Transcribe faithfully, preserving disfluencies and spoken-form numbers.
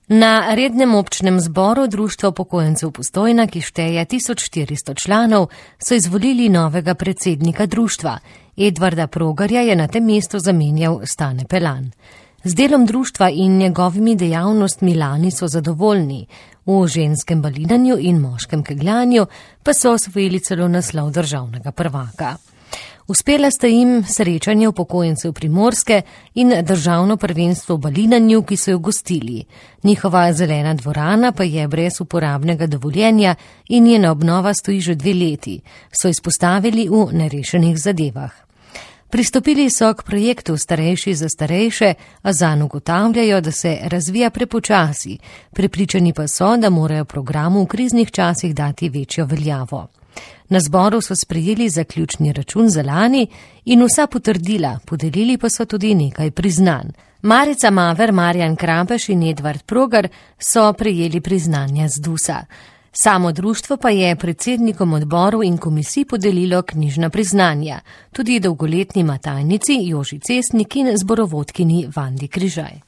Na rednem občnem zboru Društva upokojencev Postojna, ki šteje tisoč štiristo članov, so izvolili novega predsednika društva. Edvarda Progarja je na tem mestu zamenjal Stane Pelan. Z delom društva in njegovimi dejavnostmi lani so zadovoljni. V ženskem balinanju in moškem kegljanju pa so osvojili celo naslov državnega prvaka. Uspela sta jim srečanje upokojencev Primorske in državno prvenstvo v balinanju, ki so jo gostili. Njihova zelena dvorana pa je brez uporabnega dovoljenja in njena obnova stoji že dve leti, so izpostavili v nerešenih zadevah. Pristopili so k projektu Starejši za starejše, a zanj ugotavljajo, da se razvija prepočasi. Prepričani pa so, da morajo programu v kriznih časih dati večjo veljavo. Na zboru so sprejeli zaključni račun za lani in vsa potrdila, podelili pa so tudi nekaj priznanj. Marica Maver, Marjan Krampeš in Edvard Progar so prejeli priznanja z Dusa. Samo društvo pa je predsednikom odborov in komisij podelilo knjižna priznanja, tudi dolgoletni matajnici Joži Cesnik in zborovodkini Vandi Križaj.